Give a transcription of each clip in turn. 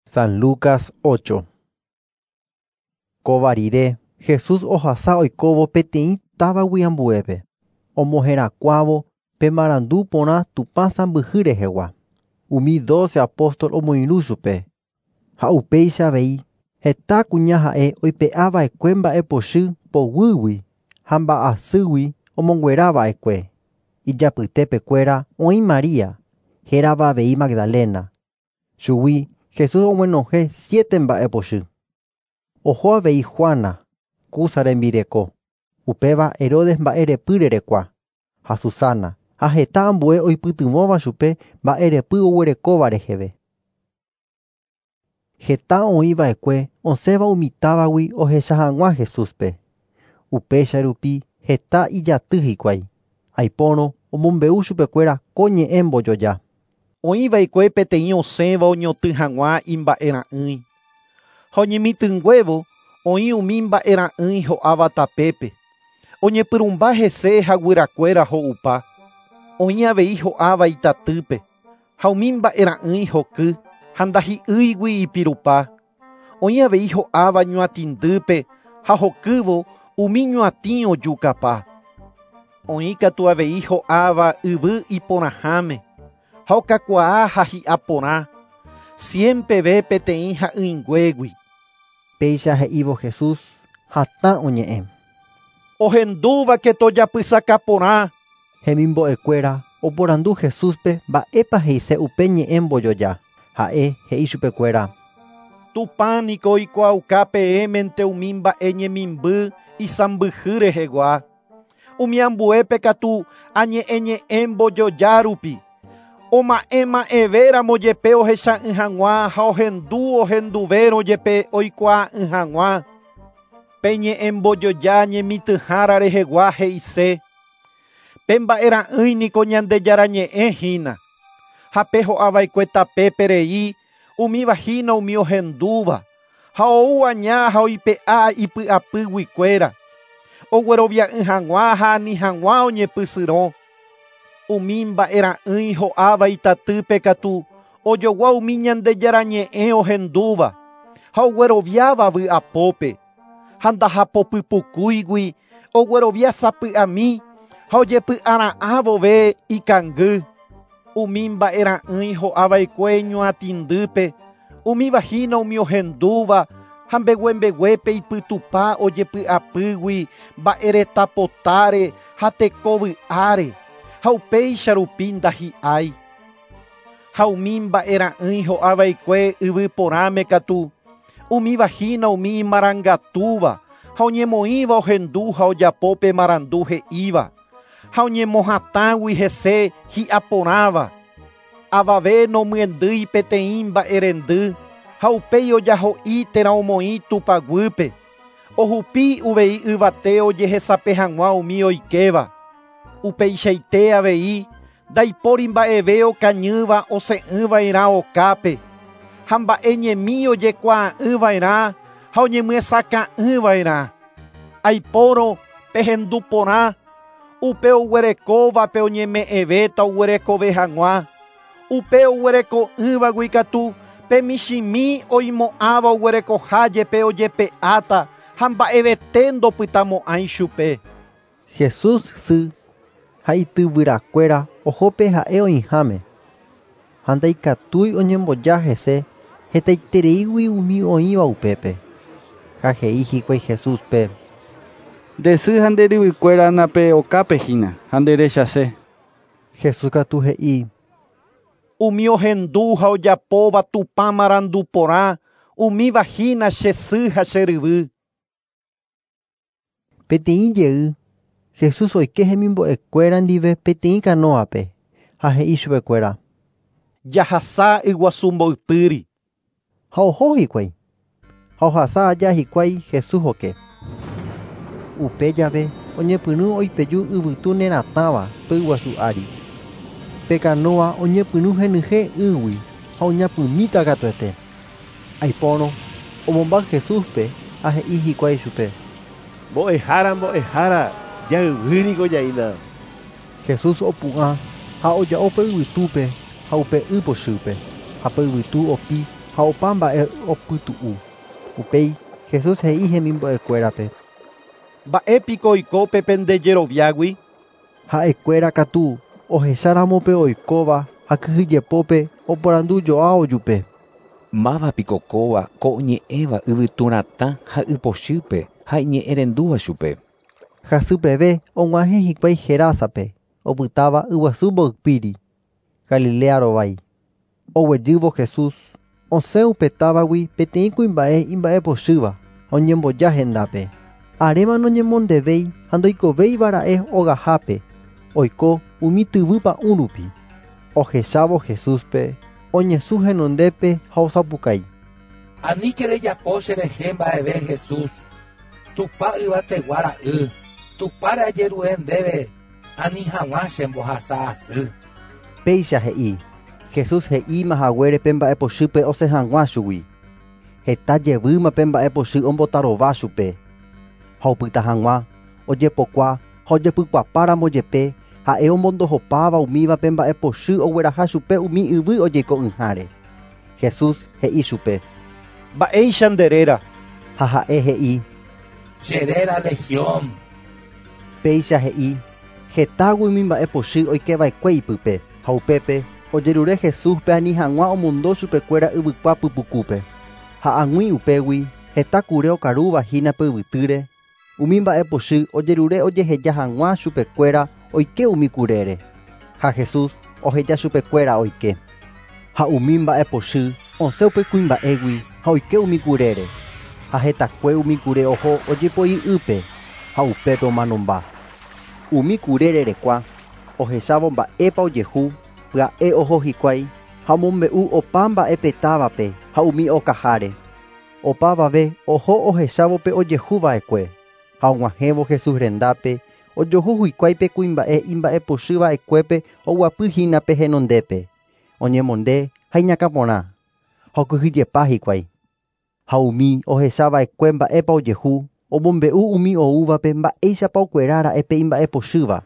San Lucas 8. Kóva rire, Jesús ohasa oikóvo peteĩ távagui ambuépe, omoherakuãvo pe marandu porã Tupã sãmbyhy rehegua. Umi 12 apóstol omoirũ chupe. Ha upéicha avei heta kuña ha'e oipe'ava'ekue mba'epochy poguýgui ha mba'asýgui omonguerava'ekue. Ijapytepekuéra oĩ María, hérava avei Magdalena. Chugui Jesús oguenohẽ 7 mba'epochy. Oho avei Juana, Cuza rembireko, upéva Herodes mba'erepy rerekua, ha Susana, ha heta ambue oipytyvõva chupe mba'erepy oguerekóva reheve. Heta oĩva'ekue osẽva umi távagui ohecha hag̃ua Jesúspe. Upéicha rupi heta ijaty hikuái. Aipórõ omombe'u chupekuéra ko ñe'ẽ mbojoja. Oĩva'ekue peteĩ osẽva oñotỹ hag̃ua imba'era'ỹi. Ha oñemitỹnguévo oĩ umi mba'era'ỹi ho'áva tapépe. Oñepyrũmba hese ha guyrakuéra ho'upa. Oĩ avei ho'áva itatýpe. Ha umi mba'era'ỹi hoky ha ndahi'ýigui ipirupa. Oĩ avei ho'áva ñuatĩndýpe ha hokývo umi ñuatĩ ojukapa. Oĩ katu avei ho'áva yvy iporãháme. Ha okakuaa ha hi'a porã. Siempeve peteĩ ha'ỹinguégui. Péicha he'ívo Jesús hatã oñe'ẽ. Ohendúvake tojapysaka porã. Hemimbo'ekuéra oporandu Jesúspe mba'épa he'ise upe ñe'ẽ mbojoja. Ha'e he'i chupekuéra. Tupã niko oikuaauka peẽmente umi mba'e ñemimby isãmbyhy rehegua. Umi ambuépe katu añe'ẽñe'ẽ mbojoja rupi. Oma'ẽma'ẽvéramo jepe ohecha'ỹ hag̃ua ha ohendu ohenduvérõ jepe oikuaa'ỹ hag̃ua. Pe ñe'ẽ mbojoja ñemitỹhára rehegua he'ise. Pe mba'era'ỹi niko Ñandejára ñe'ẽ hína. Ha pe ho'ava'ekue tapépe rei umíva hína umi ohendúva. Ha ou aña ha oipe'a ipy'apýguikuéra. Oguerovia'ỹ hag̃ua ha ani hag̃ua oñepysyrõ. Umi mba'era'ỹi ho'áva itatýpe katu ojogua umi Ñandejára ñe'ẽ ohendúva ha ogueroviáva vy'apópe. Ha ndahapopypukúigui oguerovia sapy'ami ha ojepy'ara'ã vove ikangy. Umi mba'era'ỹi ho'ava'ekue ñuatĩndýpe umíva hína umi ohendúva ha mbeguembeguépe ipytupa ojepy'apýgui mba'eretapotáre ha tekovy'áre. Ha upéicha rupi ndahi'ái. Ha umi mba'era'ỹi ho'ava'ekue yvy porãme katu umíva hína umi imarangatúva ha oñemoĩva ohendu ha ojapo pe marandu he'íva. Ha oñemohatãgui hese hi'a porãva. Avave nomyendýi peteĩ mba'erendy ha upéi ojaho'i térã omoĩ tupaguýpe. Ohupi uvei yvate ojehesape hag̃ua umi oikéva. Upeichaite avei ndaipóri mba'eve okañýva osẽ'ỹva'erã okápe. Ha mba'e ñemi ojekuaa'ỹva'erã ha oñemyesakã'ỹva'erã. Aipórõ pehendu porã upe oguerekóvape oñeme'ẽvéta oguerekove hag̃ua. Upe oguereko'ỹvagui katu pe michĩmi oimo'ãva oguerekoha jepe ojepe'áta ha mba'evete ndopytamo'ãi chupe. Jesús sy ha ityvyrakuéra ohópe ha'e oĩháme. Ha ndaikatúi oñemboja hese hetaitereígui umi oĩva upépe. Ha he'i hikuái Jesúspe. Nde sy ha nde ryvykuéra nape okápe hína ha nderechase. Jesús katu he'i. Umi ohendu ha ojapóva Tupã marandu porã umíva hína che sy ha che ryvy. Peteĩ jey Jesús oike hemimbo'ekuéra ndive peteĩ kanóape ha he'i chupekuéra. Jahasa yguasu mboypýri. Ha oho hikuái. Ha ohasa aja hikuái Jesús oke. Upe jave oñepyrũ oipeju yvytu neratãva pe yguasu ári. Pe kanóa oñepyrũ henyhẽ ýgui ha oñapymíta katuete. Aipórõ omomba Jesúspe ha he'i hikuái chupe. Mbo'ehára, mbo'ehára, jayvýniko jaína. Jesús opu'ã ha oja'o pe yvytúpe ha upe y pochýpe. Ha pe yvytu opi ha ha opa mba'e opytu'u. Upéi Jesús he'i hemimbo'ekuérape: Mba'épiko oiko pe pendejeroviágui? Ha'ekuéra katu ohecháramo pe oikóva ha kyhyjepópe oporandujoa ojupe. Mávapiko kóva ko oñe'ẽva yvyturatã ha ypochýpe ha iñe'ẽrendúva chupe. Hasypeve og̃uahẽ hikuái Gerásape, opytáva yguasu mboypýri, Galilea rovái. Oguejývo Jesús osẽ upe távagui peteĩ kuimba'e imba'epochýva oñemboja hendápe. Aréma noñemondevéi ha ndoikovéivara'e ogahápe, oiko umi tyvy pa'ũ rupi. Ohechávo Jesúspe oñesũ henondépe ha osapukái. Aníke rejapo cherehe mba'eve Jesús, Tupã yvategua ra'y, Tupãre ajerure ndéve ani hag̃ua chembohasa asy. Péicha he'i Jesús he'íma haguére pe mba'epochýpe osẽ hag̃ua chugui. Heta jevýma pe mba'epochy ombotarova chupe. Ha opyta hag̃ua ojepokua ha ojepykuapáramo jepe ha'e omondohopáva umíva pe mba'epochy ogueraha chupe umi yvy ojeiko'ỹháre. Jesús he'i chupe: Mba'éicha nde réra? Ha ha'e he'i: Che réra Legión. Péicha he'i hetágui umi mba'epochy oikeva'ekue ipype ha upépe ojerure Jesúspe ani hag̃ua omondo chupekuéra yvykua pypukúpe. Ha ag̃ui upégui heta kure okarúva hína pe yvytýre, umi mba'epochy ojerure ojeheja hag̃ua chupekuéra oike umi kurére. Ha Jesús oheja chupekuéra oike. Ha umi mba'epochy osẽ upe kuimba'égui ha oike umi kurére. Ha hetakue umi kure oho ojepoi ýpe ha upépe omanomba. Umi kure rerekua ohechávo mba'épa ojehu pya'e oho hikuái ha omombe'u opa mba'e pe távape ha umi okaháre. Opavave oho ohechávo pe ojehuva'ekue ha og̃uahẽvo Jesús rendápe ojohu hikuái pe kuimba'e imba'epochýva'ekuépe oguapyhína pe henondépe, oñemonde ha iñakãporã ha okyhyjepa hikuái. Ha umi ohechava'ekue mba'épa ojehu omombe'u umi oúvape mba'éichapa okuerára'e pe imba'epochýva.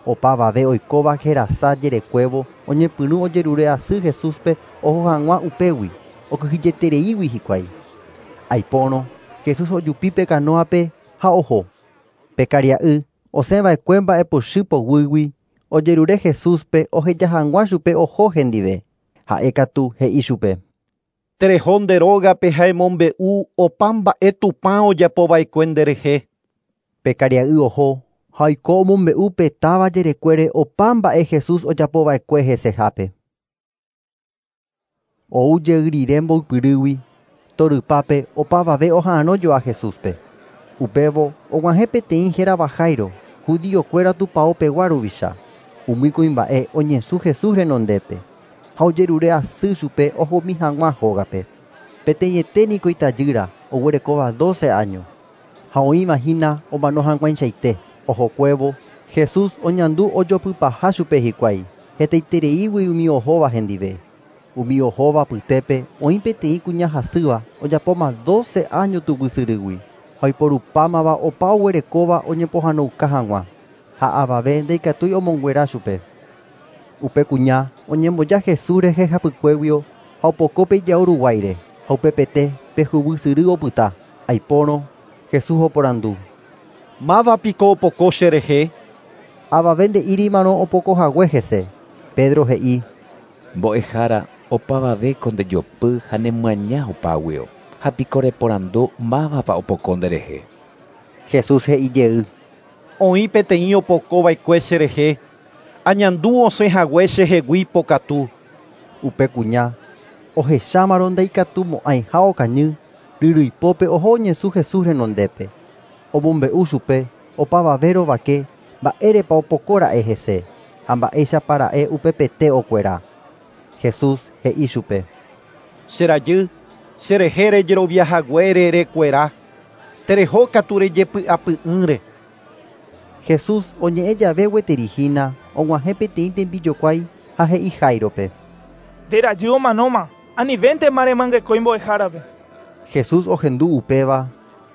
Opavave oikóva Gerasa jerekuévo oñepyrũ ojerure asy Jesúspe oho hag̃ua upégui okyhyjetereígui hikuái. Aipórõ Jesús ojupi pe kanóape ha oho. Pe karia'y osẽva'ekue mba'epochy poguýgui ojerure Jesúspe oheja hag̃ua chupe oho hendive. Ha'e katu he'i chupe: Tereho nde rógape ha emombe'u opa mba'e Tupã ojapova'ekue nderehe. Pe karia'y oho ha oiko omombe'u pe táva jerekuére opa mba'e Jesús ojapova'ekue hesehápe. Ou jey rire mboypyrýgui torypápe opavave oha'arõjoa Jesúspe. Upévo og̃uahẽ peteĩ hérava Jairo, judiokuéra tupãopegua ruvicha. Umi kuimba'e oñesũ Jesús renondépe ha ojerure asy chupe ohomi hag̃ua hógape. Peteĩete niko itajýra oguerekóva 12 año ha oĩvahína omano hag̃uaichaite. Ohokuévo Jesús oñandu ojopypaha chupe hikuái hetaitereígui umi ohóva hendive. Umi ohóva apytépe oĩ peteĩ kuña hasýva ojapóma 12 año tuguysyrýgui ha oiporupámava opa oguerekóva oñepohãnouka hag̃ua ha avave ndaikatúi omonguera chupe. Upe kuña oñemboja Jesús rehe hapykuéguio ha opoko pe ijao ruguáire ha upepete pe huguysyry opyta. Aipórõ Jesús oporandu: Mávapiko opoko cherehe? Avave nde'írimarõ opokohague hese. Pedro he'i: Mbo'ehára opavavéko ndejopy ha nemyaña opáguio ha piko reporandu mávapa opoko nderehe. Jesús he'i jey: Oĩ peteĩ opokova'ekue cherehe, añandu osẽhague chehegui pokatu. Upe kuña ohechámarõ ndaikatumo'ãiha okañy ryryipópe oho oñesũ Jesús renondépe. Omombe'u chupe opavave rovake mba'érepa opokóra'e hese ha mba'éichapa ra'e upepete okuera. Jesús he'i chupe: Che rajy, cherehe rejeroviahaguére rekuera. Tereho katu rejepy'apy'ỹre. Jesús oñe'ẽ jave gueterihína og̃uahẽ peteĩ tembijokuái ha he'i Jairope: Nde rajy omanóma, anivéntema remangekói mbo'ehárape. Jesús ohendu upéva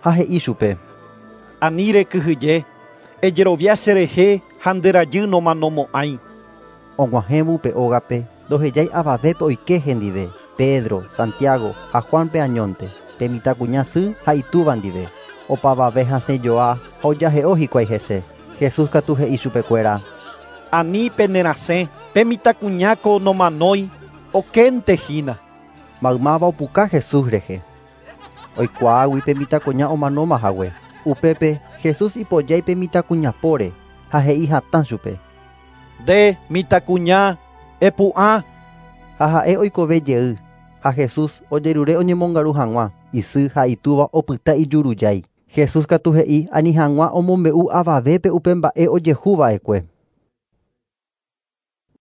ha he'i chupe: Ani rekyhyje, ejerovia cherehe ha nde rajy nomanomo'ãi. Og̃uahẽvo upe ógape ndohejái avavépe oike hendive. Pe Pedro, Santiago ha Juánpe añónte, pe mitãkuña sy ha itúva ndive. Opavave hasẽjoa ha ojahe'o hikuái hese. Jesús katu he'i chupekuéra: Ani penerasẽ, pe mitãkuñáko nomanói, okénte hína. Maymáva opuka Jesús rehe. Oikuaágui pe mitãkuña omanóma hague. Upépe Jesús ipojái pe mitãkuña póre ha he'i hatã chupe: Nde mitãkuña, epu'ã. Ha ha'e oikove jey ha Jesús ojerure oñemongaru hag̃ua. Isy ha itúva opyta ijurujái. Jesús katu he'i ani hag̃ua omombe'u avavépe upe mba'e ojehuva'ekue.